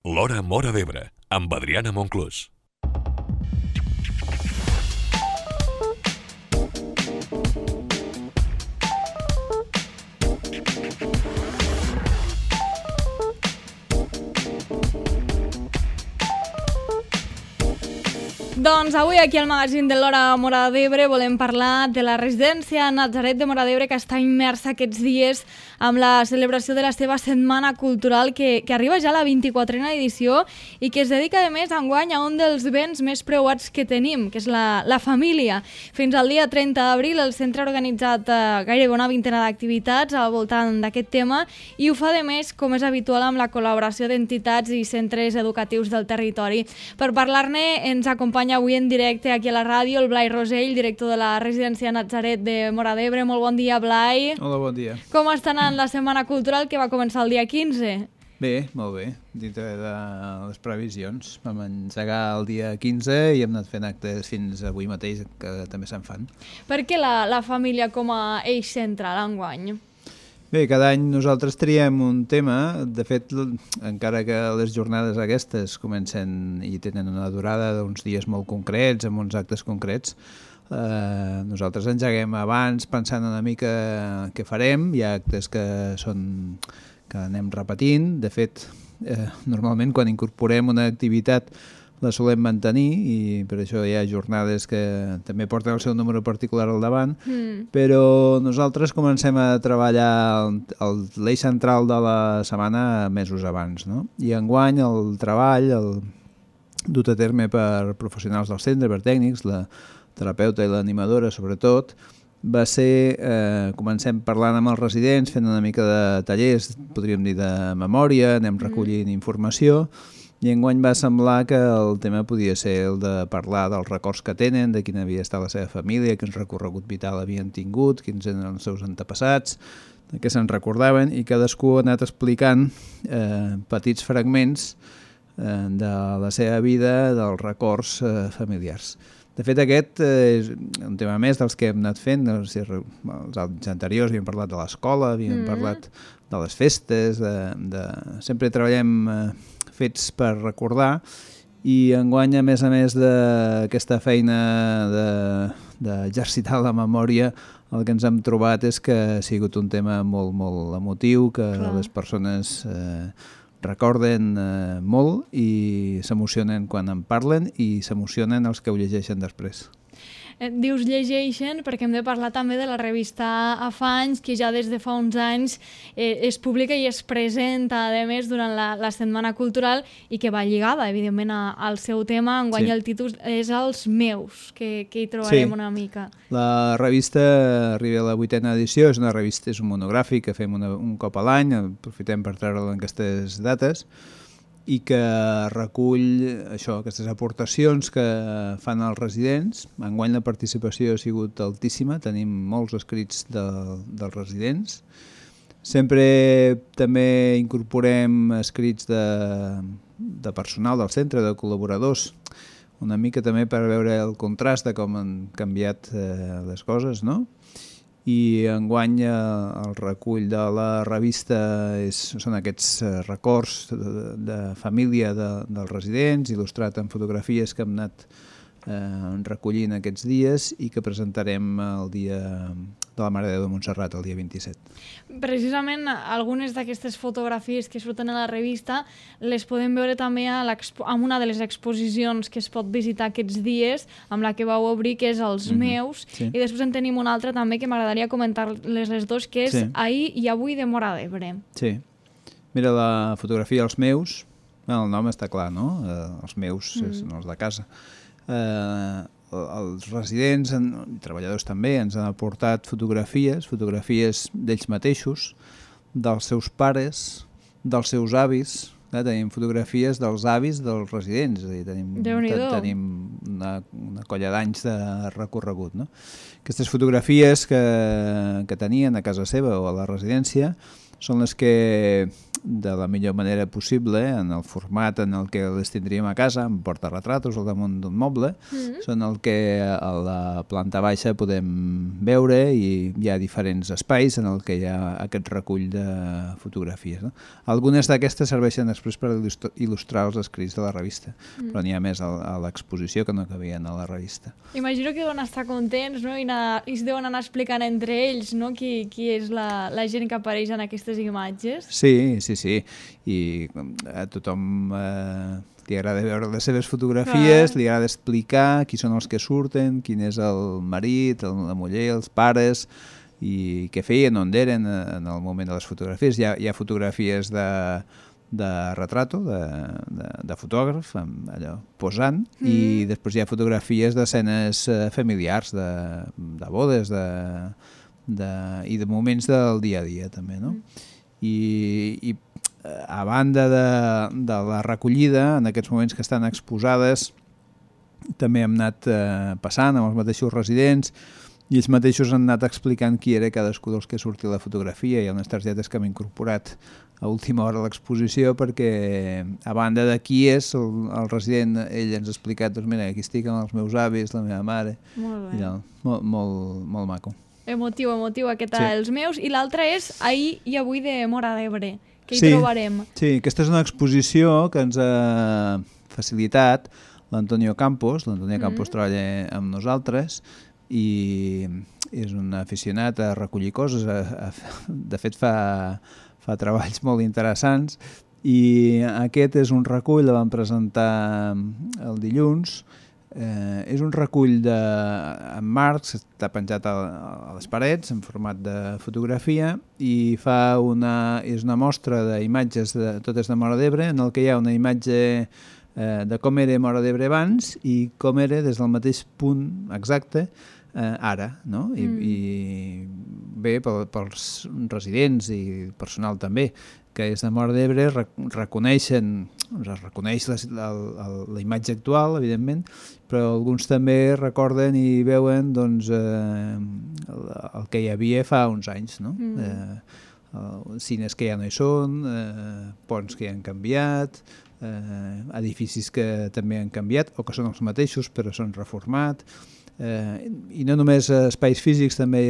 L'Hora Móra d'Ebre, amb Adriana Monclús. Doncs avui aquí al magazín de l'Hora Móra d'Ebre volem parlar de la residència Natzaret de Móra d'Ebre, que està immersa aquests dies amb la celebració de la seva setmana cultural que arriba ja a la 24a edició i que es dedica a més enguany a un dels béns més preuats que tenim, que és la família. Fins al dia 30 d'abril el centre ha organitzat gairebé una vintena d'activitats al voltant d'aquest tema i ho fa de més, com és habitual, amb la col·laboració d'entitats i centres educatius del territori. Per parlar-ne ens acompanya avui en directe aquí a la ràdio el Blai Rosell, director de la residència Natzaret de Móra d'Ebre. Molt bon dia, Blai. Hola, bon dia. Com està anant la setmana cultural que va començar el dia 15? Bé, molt bé, dintre de les previsions. Vam engegar el dia 15 i hem anat fent actes fins avui mateix, que també se'n fan. Per què la família com a eix central enguany? Bé, cada any nosaltres triem un tema. De fet, encara que les jornades aquestes comencen i tenen una durada d'uns dies molt concrets, amb uns actes concrets, nosaltres engeguem abans pensant una mica què farem. Hi ha actes que anem repetint. De fet, normalment quan incorporem una activitat la solem mantenir i per això hi ha jornades que també porten el seu número particular al davant, però nosaltres comencem a treballar l'eix central de la setmana mesos abans, no? I enguany el treball, dut a terme per professionals del centre, per tècnics, la terapeuta i l'animadora sobretot, va ser, comencem parlant amb els residents, fent una mica de tallers, podríem dir de memòria, anem recollint informació, i enguany va semblar que el tema podia ser el de parlar dels records que tenen, de quina havia estat la seva família, quin recorregut vital havien tingut, quins eren els seus antepassats, de què se'n recordaven, i cadascú ha anat explicant petits fragments de la seva vida, dels records familiars. De fet, aquest és un tema més dels que hem anat fent. Els anys anteriors havíem parlat de l'escola, havíem parlat de les festes, sempre treballem fets per recordar, i enguany, a més d'aquesta feina d'exercitar la memòria, el que ens hem trobat és que ha sigut un tema molt, molt emotiu, que les persones recorden molt i s'emocionen quan en parlen i s'emocionen els que ho llegeixen després. Dius llegeixen perquè hem de parlar també de la revista Afanys, que ja des de fa uns anys es publica i es presenta, a més, durant la Setmana Cultural i que va lligada, evidentment, al seu tema. Enguany el títol és Els meus, que hi trobarem una mica. La revista arriba a la 8a edició, és un monogràfic que fem un cop a l'any, aprofitem per treure-lo en aquestes dates, i que recull aquestes aportacions que fan els residents. Enguany la participació ha sigut altíssima, tenim molts escrits dels residents. Sempre també incorporem escrits de personal del centre, de col·laboradors, una mica també per veure el contrast de com han canviat les coses, no? I enguany el recull de la revista són aquests records de família dels residents, il·lustrat amb fotografies que hem anat recollint aquests dies i que presentarem el dia de la Mare de Déu de Montserrat, el dia 27. Precisament algunes d'aquestes fotografies que surten a la revista les podem veure també en una de les exposicions que es pot visitar aquests dies, amb la que vau obrir, que és Els meus, i després en tenim una altra també que m'agradaria comentar-les les dos, que és Ahir i avui de Móra d'Ebre. Sí. Mira, la fotografia Els meus, el nom està clar, no? Els meus són els de casa. Els residents i treballadors també ens han aportat fotografies d'ells mateixos, dels seus pares, dels seus avis. Tenim fotografies dels avis dels residents, és a dir, tenim una colla d'anys de recorregut, no? Aquestes fotografies que tenien a casa seva o a la residència són les que de la millor manera possible, en el format en el que les tindríem a casa, amb portarretratos al damunt d'un moble, són el que a la planta baixa podem veure i hi ha diferents espais en el que hi ha aquest recull de fotografies. No? Algunes d'aquestes serveixen després per il·lustrar els escrits de la revista, però n'hi ha més a l'exposició que no cabien a la revista. Imagino que deuen estar contents, no? I es deuen anar explicant entre ells, no? Qui és la gent que apareix en aquestes imatges. Sí. I a tothom li agrada veure les seves fotografies, li agrada explicar qui són els que surten, quin és el marit, la muller, els pares, i què feien, on eren en el moment de les fotografies. Hi ha fotografies de retrato, de fotògraf, allò, posant, i després hi ha fotografies d'escenes familiars, de bodes, i de moments del dia a dia, també, no? I a banda de la recollida, en aquests moments que estan exposades, també hem anat passant amb els mateixos residents i ells mateixos han anat explicant qui era cadascú dels que sortia a la fotografia. Hi ha unes targetes que hem incorporat a última hora a l'exposició perquè, a banda de qui és el resident, ell ens ha explicat, doncs mira, aquí estic amb els meus avis, la meva mare. Molt bé. Molt maco. Emotiu aquest Els meus. I l'altre és Ahir i avui de Móra d'Ebre, que hi trobarem. Sí, aquesta és una exposició que ens ha facilitat l'Antonio Campos. L'Antonio Campos treballa amb nosaltres i és un aficionat a recollir coses. De fet, fa treballs molt interessants i aquest és un recull, el vam presentar el dilluns. És un recull en marcs, està penjat a les parets en format de fotografia i és una mostra d'imatges totes de Móra d'Ebre, en el que hi ha una imatge de com era Móra d'Ebre abans i com era des del mateix punt exacte ara, no? I bé, pels residents i personal també, que és de Móra d'Ebre, reconeix la imatge actual, evidentment, però alguns també recorden i veuen doncs, el que hi havia fa uns anys, no? Cines que ja no hi són, ponts que ja han canviat, edificis que també han canviat o que són els mateixos però són reformat, i no només espais físics, també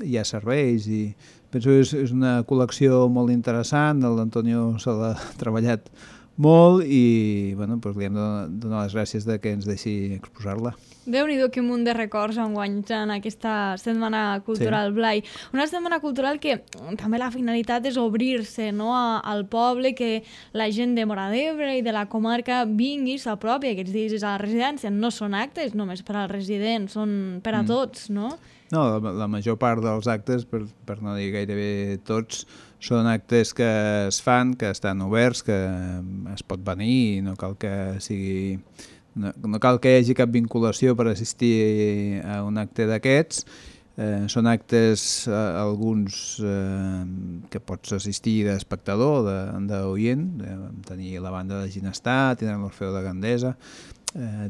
hi ha serveis i penso que és una col·lecció molt interessant. L'Antonio se l'ha treballat molt i bueno, doncs li hem de donar les gràcies de que ens deixi exposar-la. Déu-n'hi-do, que munt de records enguany en aquesta Setmana Cultural, Blai. Una setmana cultural que també la finalitat és obrir-se, no, al poble, que la gent de Móra d'Ebre i de la comarca vingui, s'apropi aquests dies a la residència. No són actes només per als residents, són per a tots, no? No, la major part dels actes, per no dir gairebé tots, són actes que es fan, que estan oberts, que es pot venir i no cal que sigui... No cal que hi hagi cap vinculació per assistir a un acte d'aquests. Són actes, alguns que pots assistir d'espectador, d'oient. Tenir la banda de Ginestar, tindrem l'Orfeo de Gandesa,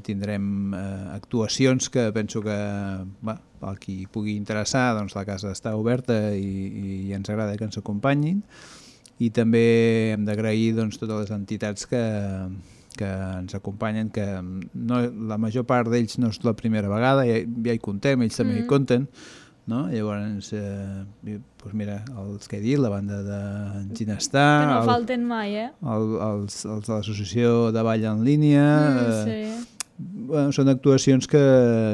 tindrem actuacions que penso que el qui pugui interessar, doncs la casa està oberta i ens agrada que ens acompanyin. I també hem d'agrair doncs, totes les entitats que ens acompanyen, que la major part d'ells no és la primera vegada, ja hi contem, ells també hi compten, no? Llavors, doncs mira, els que he dit, la banda de Ginestar... Que no falten mai, els de l'associació de Ball en línia... Sí. Bueno, són actuacions que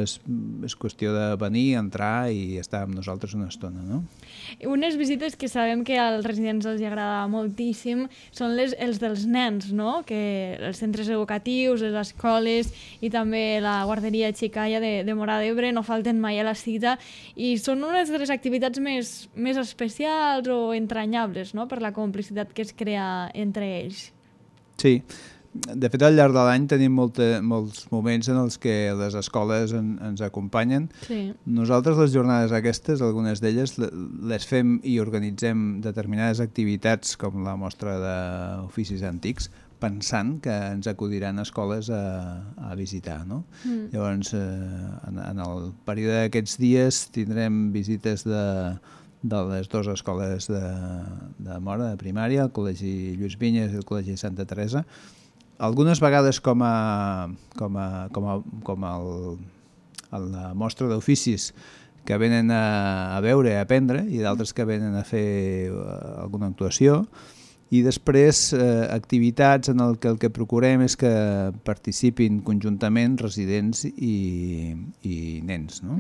és qüestió de venir, entrar i estar amb nosaltres una estona, no? Unes visites que sabem que als residents els agrada moltíssim són els dels nens, no? Que els centres educatius, les escoles i també la guarderia Xicalla de Móra d'Ebre no falten mai a la cita i són unes de les activitats més especials o entranyables, no? Per la complicitat que es crea entre ells. Sí. De fet, al llarg de l'any tenim molts moments en els que les escoles ens acompanyen. Sí. Nosaltres les jornades aquestes, algunes d'elles, les fem i organitzem determinades activitats com la mostra d'oficis antics, pensant que ens acudiran escoles a visitar, no? Llavors, en el període d'aquests dies tindrem visites de les dues escoles de Móra, de primària, el Col·legi Lluís Vinyes i el Col·legi Santa Teresa. Algunes vegades com a la mostra d'oficis que venen a veure, a aprendre, i d'altres que venen a fer alguna actuació. I després activitats en el que procurem és que participin conjuntament residents i nens. No?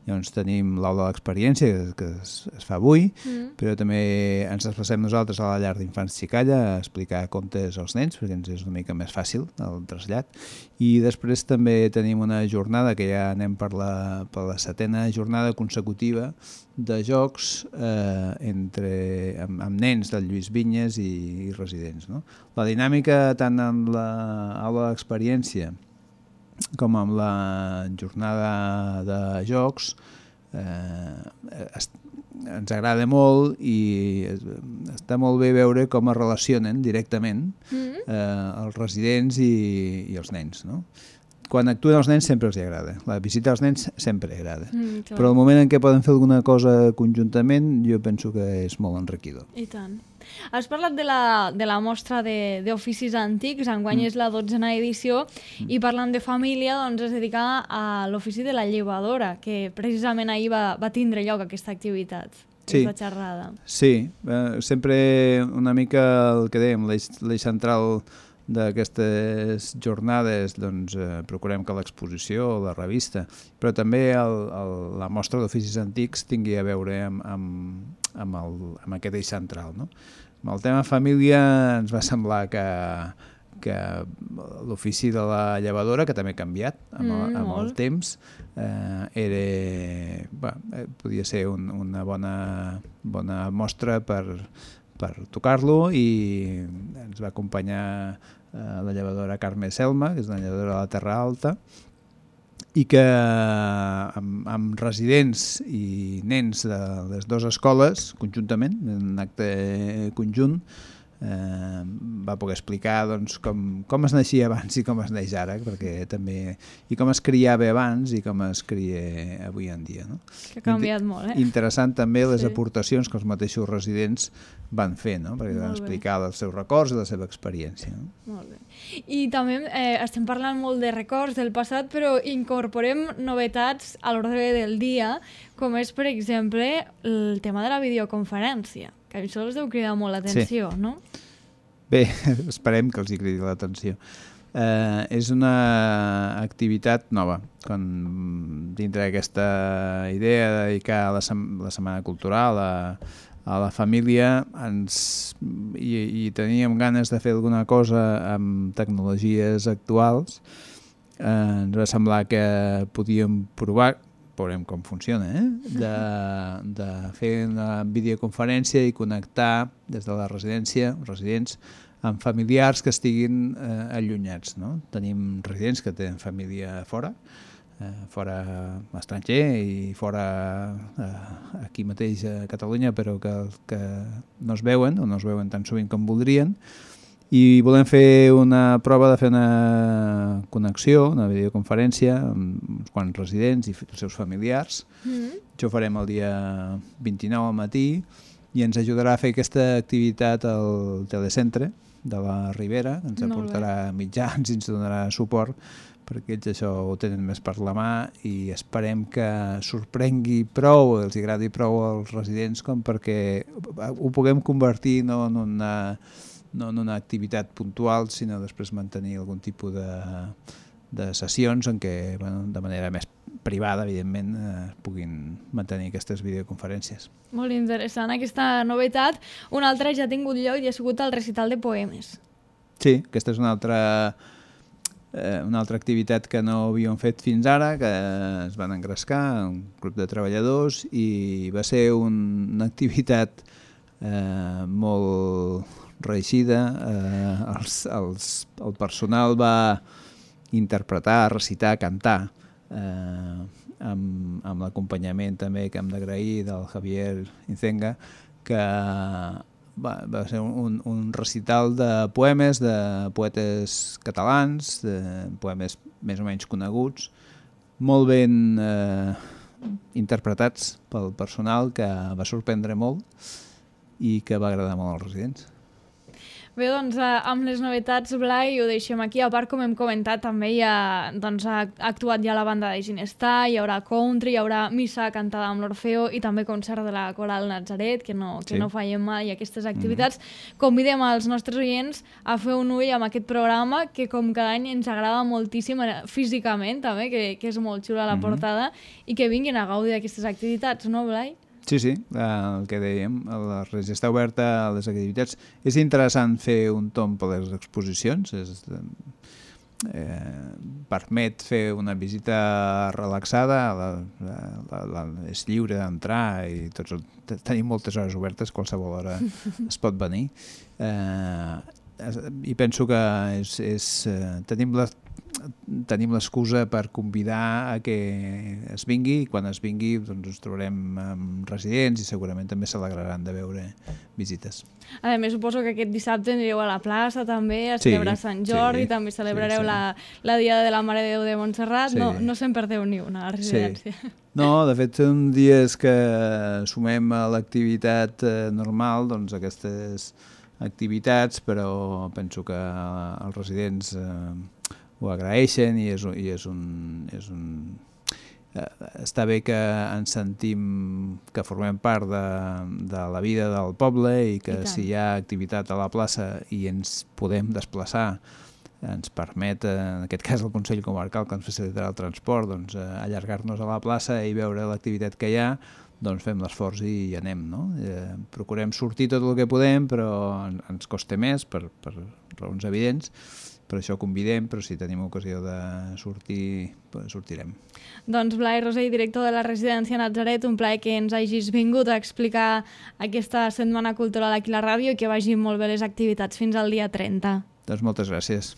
Llavors tenim l'aula de l'experiència que es fa avui, però també ens desplacem nosaltres a la llar d'infants Xicalla a explicar contes als nens, perquè ens és una mica més fàcil el trasllat. I després també tenim una jornada que ja anem per la 7ª jornada consecutiva de jocs amb nens del Lluís Vinyes i residents. No? La dinàmica tant en l'aula d'experiència com amb la jornada de jocs ens agrada molt i està molt bé veure com es relacionen directament els residents i els nens. No? Quan actuen els nens sempre els agrada. La visita als nens sempre agrada. Però el moment en què poden fer alguna cosa conjuntament jo penso que és molt enriquidor. I tant. Has parlat de la mostra d'oficis antics, enguany és la 12ª edició, i parlant de família doncs es dedica a l'ofici de la llevadora, que precisament ahir va tindre lloc aquesta activitat, aquesta xerrada. Sí, sempre una mica el que dèiem, l'eix central d'aquestes jornades doncs, procurem que l'exposició o la revista, però també la mostra d'oficis antics tingui a veure amb aquest eix central. No? Amb el tema família ens va semblar que l'ofici de la llevadora, que també ha canviat amb el temps, podia ser una bona mostra per tocar-lo, i ens va acompanyar la llevadora Carme Selma, que és una llevadora de la Terra Alta, i que amb residents i nens de les dues escoles, conjuntament, en un acte conjunt, va poder explicar doncs, com es naixia abans i com es neix ara, perquè també, i com es criava abans i com es cria avui en dia. No? Que ha canviat molt, Interessant també les aportacions que els mateixos residents van fer, no? Perquè van explicar els seus records i la seva experiència. No? Molt bé. I també estem parlant molt de records del passat, però incorporem novetats a l'ordre del dia, com és, per exemple, el tema de la videoconferència, que això els deu cridar molt l'atenció, no? Bé, esperem que els hi cridi l'atenció. És una activitat nova. Dintre d'aquesta idea de dedicar la Setmana Cultural a la família, i teníem ganes de fer alguna cosa amb tecnologies actuals, ens va semblar que podíem provar, veurem com funciona, de fer una videoconferència i connectar des de la residència, residents, amb familiars que estiguin allunyats. No? Tenim residents que tenen família fora estranger i fora aquí mateix a Catalunya, però que no es veuen o no es veuen tan sovint com voldrien, i volem fer una prova de fer una connexió, una videoconferència amb uns quants residents i els seus familiars. Això ho farem el dia 29 al matí i ens ajudarà a fer aquesta activitat al telecentre de la Ribera, ens aportarà mitjans i ens donarà suport, perquè ells això ho tenen més per la mà, i esperem que sorprengui prou, els agradi prou als residents com perquè ho puguem convertir no en una activitat puntual, sinó després mantenir algun tipus de sessions en què, de manera més privada, evidentment, puguin mantenir aquestes videoconferències. Molt interessant aquesta novetat. Una altra ja ha tingut lloc i ha sigut el recital de poemes. Sí, aquesta és una altra activitat que no havíem fet fins ara, que es van engrescar un grup de treballadors, i va ser una activitat molt reeixida. El personal va interpretar, recitar, cantar, amb l'acompanyament també que hem d'agrair del Javier Incenga, que va ser un recital de poemes, de poetes catalans, de poemes més o menys coneguts, molt ben interpretats pel personal, que va sorprendre molt i que va agradar molt als residents. Bé, doncs, amb les novetats, Blai, ho deixem aquí. A part, com hem comentat, també ha actuat ja la banda de Ginestar, hi haurà country, hi haurà missa cantada amb l'Orfeo i també concert de la Coral Natzaret, que no fallem mai aquestes activitats. Convidem als nostres oients a fer un ull amb aquest programa, que com cada any ens agrada moltíssim físicament, també, que és molt xula la portada, i que vinguin a gaudir d'aquestes activitats, no, Blai? Sí, el que dèiem, la Regia està oberta a les activitats. És interessant fer un tomb per les exposicions, permet fer una visita relaxada, és lliure d'entrar i tenim moltes hores obertes, qualsevol hora es pot venir. I penso que tenim l'excusa per convidar a que es vingui, i quan es vingui doncs ens trobarem amb residents i segurament també s'alegraran de veure visites. A més, suposo que aquest dissabte anireu a la plaça també a celebrar Sant Jordi, també celebrareu la Diada de la Mare de Déu de Montserrat, no se'n perdeu ni una a la residència. No, de fet són dies que sumem a l'activitat normal, doncs aquestes activitats, però penso que els residents ho agraeixen i està bé que ens sentim que formem part de la vida del poble i que si hi ha activitat a la plaça i ens podem desplaçar, ens permet, en aquest cas el Consell Comarcal, que ens facilitarà el transport, doncs, allargar-nos a la plaça i veure l'activitat que hi ha, doncs fem l'esforç i hi anem, no? Procurem sortir tot el que podem, però ens costa més per raons evidents. Per això convidem, però si tenim ocasió de sortir, sortirem. Doncs Blai Rosell, director de la Residència Natzaret, un plaer que ens hagis vingut a explicar aquesta Setmana Cultural aquí a la ràdio i que vagin molt bé les activitats fins al dia 30. Doncs moltes gràcies.